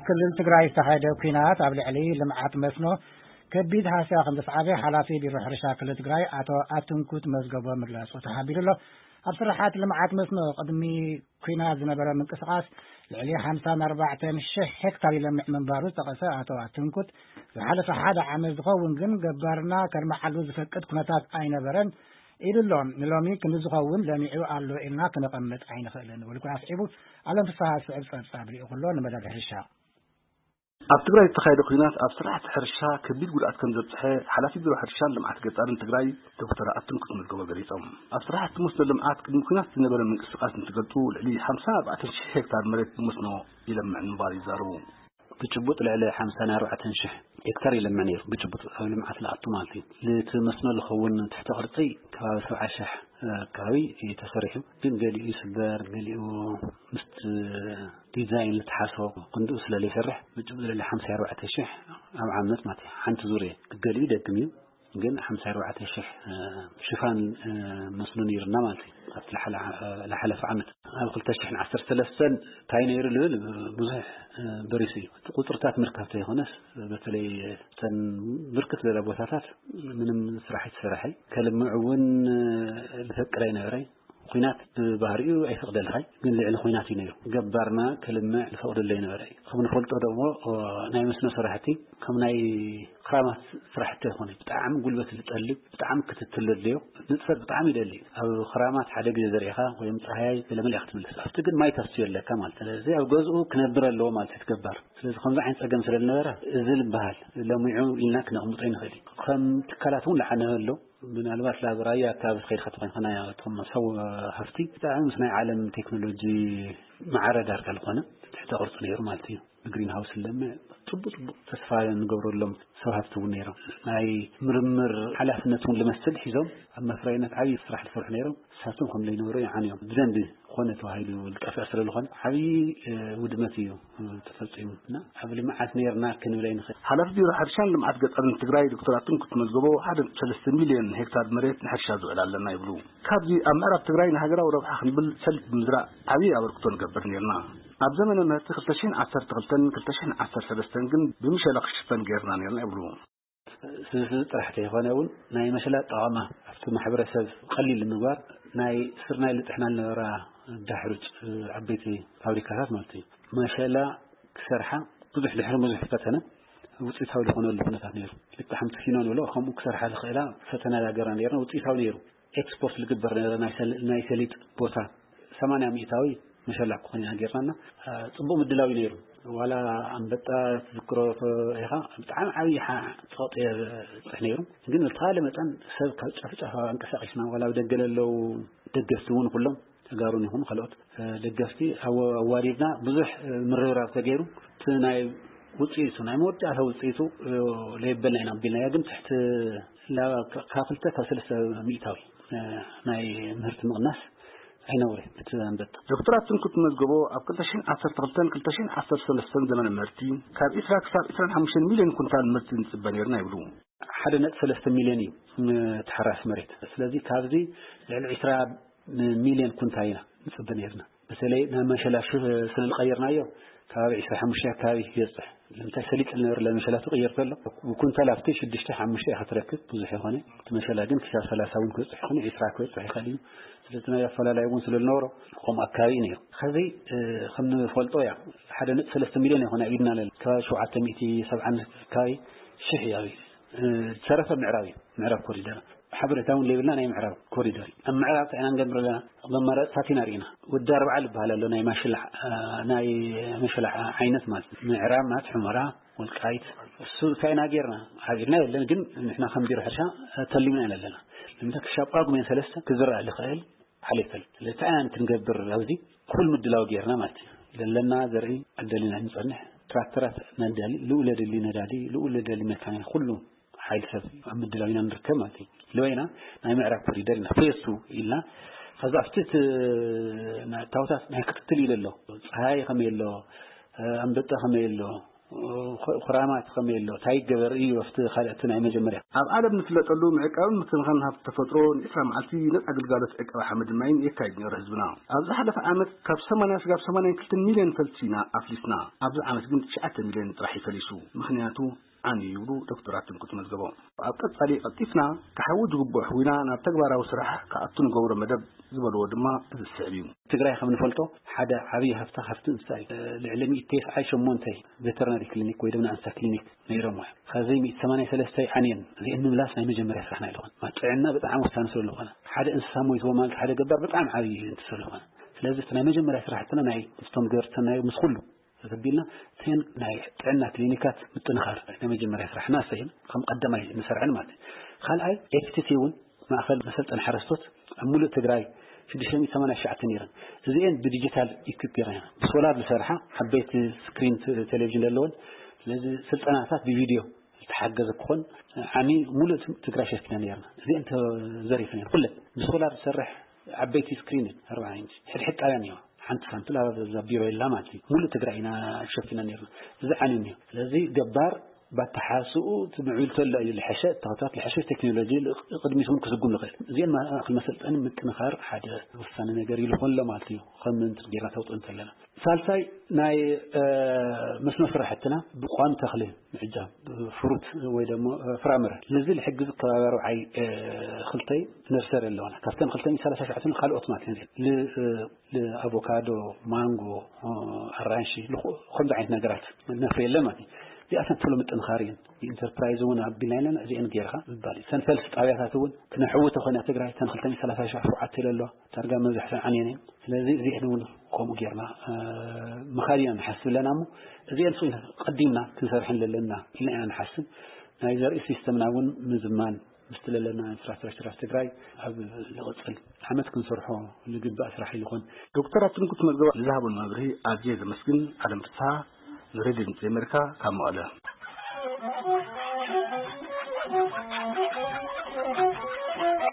ክልል ትግራይ ዝተኻየደ ኲናት ኣብ ልዕሊ ልምዓት መስኖ ከቢድ ሃስያ ከም ዘስዓበ ሓላፊ ቢሮ ሕርሻ ክልል ትግራይ ኣቶ ኣትንኩት መዝገቦ ምግላጹ ተሓቢሩ ኣሎ። ኣብ ስራሓት ልምዓት መስኖ ቅድሚ ኲናት ዝነበረ ምንቅስቓስ ልዕሊ ሓምሳን ኣርባዕተን ሽሕ ሄክታር ይለምዕ ምንባሩ ዝጠቐሰ ኣቶ ኣትንኩት፣ ዝሓለፈ ሓደ ዓመት ዝኸውን ግን ገባርና ከልምዓሉ ዝፈቅድ ኩነታት ኣይነበረን ኢሉ ኣሎ። ንሎሚ ክንዲ ዝኸውን ለሚዑ ኣሎ ኢልና ክነቐምጥ ኣይንኽእልን። ውልቁ ኣስዒቡ ኣለም ፍስሃ ዝስዕብ ጸብጻብ ልኢኹ ኣሎ ንመደብ ሕርሻ። ኣብ ትግራይ ዝተኻየደ ኲናት ኣብ ስራሕቲ ሕርሻ ከቢድ ጉድኣት ከም ዘብፅሐ ሓላፊ ቢሮ ሕርሻን ልምዓት ገጠርን ትግራይ ዶክተር ኣትንኩት መዝገቦ ገሊፆም። ኣብ ስራሕቲ መስኖ ልምዓት ቅድሚ ኲናት ዝነበረ ምንቅስቃስ እንትገልፁ ልዕሊ ሓምሳን ኣርባዕተን ሽሕ ሄክታር መሬት ብመስኖ ይለምዕ ምንባሩ ይዛረቡ። ብጭቡጥ ልዕሊ ሓምሳን ኣርባዕተን ሽሕ ሄክታር ይለምዕ ነይሩ። ብጭቡጥ ኣብ ልምዓት ዝኣቱ ማለት እዩ። እቲ መስኖ ዝኸውን ትሕተ ቅርፂ ከባቢ ሰብዓ ሽሕ ኣካባቢ እዩ ተሰሪሑ። ግን ገሊኡ ይስበር፣ ገሊኡ ምስቲ ዲዛይን ዝተሓስቦ ክንድኡ ስለ ዘይሰርሕ ብጭቡጥ ልዕሊ ሓምሳ ኣርባዕተ ሽሕ ኣብ ዓመት ማለት እዩ። ሓንቲ ዙርያ ገሊኡ ይደግም እዩ። ግን ሓምሳ ኣርባዕተ ሽሕ ሽፋን መስኖ ነይርና ማለት እዩ። ኣብቲ ዝሓለፈ ዓመት ኣብ ክልተ ሽሕን ዓሰርተ ሰለስተን እንታይ ነይሩ ልብል ብዙሕ በሪሱ እዩ። እቲ ቁፅርታት ምርካብ ተይኮነስ በተለይ እተን ብርክት ዝበላ ቦታታት ምንም ስራሕ ኣይተሰራሐይ። ከልምዕ እውን ዝፈቅድ ኣይነበረይ። ኲናት ብባህሪኡ ኣይፈቅደልኻይ፣ ግን ልዕሊ ኲናት እዩ ነይሩ። ገባርና ከልምዕ ዝፈቅደሉ ኣይነበረ። ከም ንፈልጦ ደሞ ናይ መስኖ ስራሕቲ ከም ናይ ክራማት ስራሕቲ ኣይኮነ። ብጣዕሚ ጉልበት ዝጠልብ፣ ብጣዕሚ ክትትል ዘድልዮ፣ ንጥፈት ብጣዕሚ ይደሊ። ኣብ ክራማት ሓደ ግዜ ዘሪእኻ ወይም ፀሃያይ ገለመለ ክትምልስ፣ ኣብቲ ግን ማይ ተስትዮ ኣለካ ማለት። ስለዚ ኣብ ገዝኡ ክነብር ኣለዎ ማለት እዩ ገባር። ስለዚ ከምዚ ዓይነት ፀገም ስለ ዝነበረ እዚ ዝበሃል ለሚዑ ኢልና ክነቕምጦ ይንኽእል እዩ። ከም ትካላት እውን ለዓነ ኣሎ። ምናልባት ላብ ራያ ኣካባቢ ከይድካ ተኾይንካ ናይ እቶም ሰብ ሃፍቲ ብጣዕሚ ምስ ናይ ዓለም ቴክኖሎጂ ማዕረ ዳርጋ ዝኾነ ትሕተ ቅርፂ ነይሩ ማለት እዩ። ብግሪን ሃውስ ለምዕ ፅቡቅ ፅቡቅ ተስፋ ንገብረሎም ሰብ ሃፍቲ እውን ነይሮም። ናይ ምርምር ሓላፍነት እውን ልመስል ሒዞም ኣብ መፍረይነት ዓብዪ ስራሕ ዝሰርሑ ነይሮም። እሳቶም ከም ዘይነበሩ ይዓንዮም። ብደንቢ ኮነ ተባሂሉ ዝጠፍዕ ስለ ዝኾነ ዓብዪ ውድመት እዩ ተፈፂሙ እና ኣብ ልምዓት ነይርና ክንብል ኣይንኽእል። ሓላፊ ቢሮ ሕርሻን ልምዓት ገጠርን ትግራይ ዶክተር ኣትንኩት መዝገቦ ሓደ ነጥቢ ሰለስተ ሚልዮን ሄክታር መሬት ንሕርሻ ዝውዕል ኣለና ይብሉ። ካብዚ ኣብ ምዕራብ ትግራይ ንሃገራዊ ረብሓ ክንብል ሰሊጥ ብምዝራእ ዓብዪ ኣበርክቶ ንገብር ነይርና። ኣብ ዘመነ ምህርቲ ክልተ ሽሕን ዓሰርተ ክልተን ክልተ ሽሕን ዓሰርተ ሰለስተን ግን ብምሸላ ክሽፈን ገይርና ነይርና ይብሉ። ስብስብ ጥራሕ ተይኮነ እውን ናይ መሸላ ጠቐማ ኣብቲ ማሕበረሰብ ቀሊል ንምግባር ናይ ስርናይ ልጥሕና ዝነበራ ዳሕሩጭ ዓበይቲ ፋብሪካታት ማለት እዩ። መሸላ ክሰርሓ ብዙሕ ድሕሪ ብዙሕ ፈተነ ውፅኢታዊ ዝኾነሉ ኩነታት ነይሩ። ልክዕ ሓንቲ ፊኖ ንብሎ ከምኡ ክሰርሓ ዝኽእላ ፈተና ዳገራ ነይርና ውፅኢታዊ ነይሩ። ኤክስፖርት ዝግበር ነበረ ናይ ሰል- ናይ ሰሊጥ ቦታ ሰማንያ ሚእታዊ መሸላ ክኾን ኢና ጌርናና። አ፣ ጽቡቕ ምድላው እዩ ነይሩ። ዋላ ኣንበጣ ትዝክሮ ኢኻ፣ ብጣዕሚ ዓብዪ ሓ- ጸቕጢ የብጽሕ ነይሩ። ግን ብተኻለ መጠን ሰብ ካብ ጫፍ ጫፍ ኣንቀሳቒስና፣ ዋላ ኣብ ደገ ለለዉ ደገፍቲ እውን ኩሎም ተጋሩን ይኹኑ ካልኦት እ፣ ደገፍቲ ኣወ- ኣዋዲድና ብዙሕ እ፣ ምርብራብ ተገይሩ እቲ ናይ ውፅኢቱ ናይ መወዳእታ ውፅኢቱ እ፣ ለይበልና ኢና ኣቢልናዮ። ግን ትሕቲ ላ- ካብ ክልተ ካብ ሰለስተ ሚእታዊ እ፣ ናይ ምህርቲ ምቕናስ ኣይነውረ እቲ ኣንበጣ። ዶክተር ኣትንኩት መዝገቦ ኣብ ክልተ ሽሕን ዓሰርተ ክልተን ክልተ ሽሕን ዓሰርተ ሰለስተን ዘመነ ምህርቲ ካብ ዒስራ ክሳብ ዒስራን ሓሙሽተን ሚልዮን ኩንታል ምህርቲ ንፅበ ነይርና ይብሉ። ሓደ ነጥቢ ሰለስተ ሚልዮን እዩ እ፣ ተሓራሲ መሬት። ስለዚ ካብዚ ልዕሊ ዒስራ ሚልዮን ኩንታል ኢና ንፅበ ነይርና። በተለይ ናብ መሸላ ሽ- ስለ ዝቀየርናዮ ከባቢ ዒስራ ሓሙሽተ ኣካባቢ ይበፅሕ። ንምንታይ ሰሊጥ ዝነበረ መሸላ ትቅየር ከሎ ብኩንታል ኣብቲ ሽዱሽተ ሓሙሽተ ኢኻ ትረክብ። ብዙሕ ይኾነ እቲ መሸላ ግን ክሳብ ሰላሳ እውን ክበፅሕ ይኾነ ዒስራ ክበፅሕ ይኽእል እዩ። ስለዚ ናይ ኣፈላላይ እውን ስለ ዝነበሮ ከምኡ ኣካባቢ እዩ ነይሩ። ከዚ እ፣ ከም ንፈልጦ እያ ሓደ ነጥቢ ሰለስተ ሚልዮን ይኾነ ኢድና ለና ከባቢ ሸውዓተ ሚእቲ ሰብዓን ኣካባቢ ሽሕ እዩ ኣብ እ፣ ዝተረፈ ምዕራብ እዩ። ምዕራብ ኮሪደር ሓበሬታ እውን ዘይብልና ናይ ምዕራብ ኮሪደር እዩ። ኣብ ምዕራብ እንታይ ኢና ንገብር ኣለና? መማረፅታት ኢና ርኢና። ወዲ ኣርባዓ ዝበሃል ኣሎ ናይ ማሽላ እ፣ ናይ መሸላ ዓይነት ማለት እዩ። ምዕራብ ማለት ሑመራ፣ ወልቃይት እሱ እንታይ ኢና ጌርና? ሓቢርና የለን። ግን ንሕና ከም ቢሮ ሕርሻ ተሊምና ኢና ኣለና። ንምንታይ ክሻብ ጳጉሜን ሰለስተ ክዝራእ ዝኽእል ሓሊፈል። ስለዚ እንታይ ኢና ክንገብር ኣብዚ ኩል ምድላው ጌርና ማለት እዩ። ለለና ዘርኢ ኣደሊና ንጸንሕ። ትራክተራት ነዳሊ፣ ልኡ ለደሊ ነዳዲ፣ ልኡ ለደሊ መካኒን ኩሉ ሓይል ሰብ ኣብ ምድላው ኢና ንርከብ ማለት እዩ። ልበይና ናይ ምዕራብ ኮሪደር ኢና ፌስቱ ኢልና ከዛ ኣብቲ እቲ ና- ታውታት ናይ ክትትል ኢለ ኣሎ። ፀሃይ ከመይ ኣሎ፣ ኣንበጣ ከመይ ኣሎ፣ ኩራማት ከመይ ኣሎ፣ እንታይ ይገበር እዩ ኣብቲ ካልእ፣ እቲ ናይ መጀመርያ። ኣብ ዓለም ንፍለጠሉ ምዕቃብን ምክንኻን ሃብቲ ተፈጥሮ ንዒስራ መዓልቲ ነጻ ግልጋሎት ዕቀባ ሓመድን ማይን የካይድ ነይሩ ህዝብና። ኣብ ዝሓለፈ ዓመት ካብ ሰማንያ ስጋብ ሰማንያ ክልተ ሚልዮን ፈልሲ ኢና ኣፍሊስና። ኣብዚ ዓመት ግን ትሽዓተ ሚልዮን ጥራሕ እዩ ፈሊሱ። ምኽንያቱ ዓንዩ ይብሉ ዶክተር ኣትንኩት መዝገቦም። ኣብ ቀጻሊ ቀልጢፍና ክሓዊ ዝግብኦ ሕዊና ናብ ተግባራዊ ስራሕ ክኣቱ ንገብሮ መደብ ዝበልዎ ድማ እዚ ዝስዕብ እዩ። ትግራይ ከም ንፈልጦ ሓደ ዓብዪ ሃፍታ ሃፍቲ እንስሳ እዩ። ልዕሊ ሚእቲ ተስዓን ሸሞንተን ቬተርናሪ ክሊኒክ ወይ ድማ እንስሳ ክሊኒክ ነይሮም እዮም። ካብዚ ሚእቲ ሰማንያ ሰለስተ ዓንየን እዚአን ምምላስ ናይ መጀመርያ ስራሕና ኣይልኾን። ማለት ጥዕና ብጣዕሚ ወሳኒ ስለ ዝኾነ ሓደ እንስሳ ሞይትዎ ማለት ሓደ ገባር ብጣዕሚ ዓብዪ እንት ስለ ዝኾነ ስለዚ እቲ ናይ መጀመርያ ስራሕትና ናይ ምስቶም ገበርቲ ሰናይ ምስ ኩሉ ተተቢልና እተን ናይ ጥዕና ክሊኒካት ምጥንኻር ናይ መጀመርያ ስራሕና እሰየን ከም ቀዳማይ ንሰርዐን ማለት እዩ። ካልኣይ ኤፍቲቲ እውን ማእኸል መሰልጠን ሓረስቶት ኣብ ሙሉእ ትግራይ ሽዱሽተ ሚእቲ ሰማንያ ትሽዓተ ነይረን። እዚኤን ብዲጂታል ኢኩፕ ገይረን ብሶላር ዝሰርሓ ዓበይቲ ስክሪን ቴሌቪዥን ዘለወን። ስለዚ ስልጠናታት ብቪድዮ ዝተሓገዘ ክኾን ዓሚ ሙሉእ ትግራይ ሸፊና ነርና። እዚኤን ተዘሪፈን ኩለን ብሶላር ዝሰርሕ ዓበይቲ ስክሪን ኣርባዓ ኢንች ሕድሕድ ጣብያ እኒዋ ሓንቲ ሳምፕል ኣብዛ ቢሮ የላ ማለት እዩ። ሙሉእ ትግራይ ኢና ሸፊና ነርና። እዚ ዓኒ እኒዮ ስለዚ ገባር ባተሓስኡ ትምዕብል ተሎ እዩ ልሐሸ ተኸታት ልሐሸ ቴክኖሎጂ ቅድሚት እውን ክስጉም ንኽእል። እዚአን ማእክል መሰልጠኒ ምጥንኻር ሓደ ወሳኒ ነገር ይልኾን ኣሎ ማለት እዩ። ከም ምንትን ጌርና ተውጥኦ እንተለና ሳልሳይ ናይ መስኖ ስራሕትና ብቋሚ ተኽሊ ምዕጃብ ፍሩት ወይ ደሞ ፍራምረ ልዚ ልሕግዝ ከባቢ ኣርባዓይ ክልተይ ነርሰሪ ኣለዋና ካብተን ክልተ ሚእቲ ሰላሳ ሸዓተን ካልኦት ማለት ኣቮካዶ፣ ማንጎ፣ ኣራንሺ ከምዚ ዓይነት ነገራት ነፍሪ የለ ማለት እዩ። እዚኣተን ተሎ ምጥንኻር እየን። ኢንተርፕራይዝ እውን ኣቢልና የለን እዚአን ጌርካ ዝባል እዩ። ሰንፈልሲ ጣብያታት እውን ክነሕዊ ተኾነ ትግራይ ተን ክልተ ሚእቲ ሰላሳ ሸውዓተ ኣለዋ ዳርጋ መብዛሕተን ዓንየን እየን። ስለዚ እዚአን እውን ከምኡ ጌርና ምኻድ ኢና ንሓስብ ኣለና እሞ እዚአን ሱ ቀዲምና ክንሰርሐን ዘለና ኢልና ኢና ንሓስብ። ናይ ዘርኢ ሲስተምና እውን ምዝማን ምስቲ ለለና ኢንፍራስትራክቸር ኣብ ትግራይ ኣብ ዝቕፅል ዓመት ክንሰርሖ ዝግባእ ስራሕ ይኾን። ዶክተር ኣትንኩት መዝገባ ንዝሃቦን መብርሂ ኣዝየ ዘመስግን። ኣለም ፍስሓ ንሬድዮ ድምፂ ኣሜሪካ ካብ መቐለ።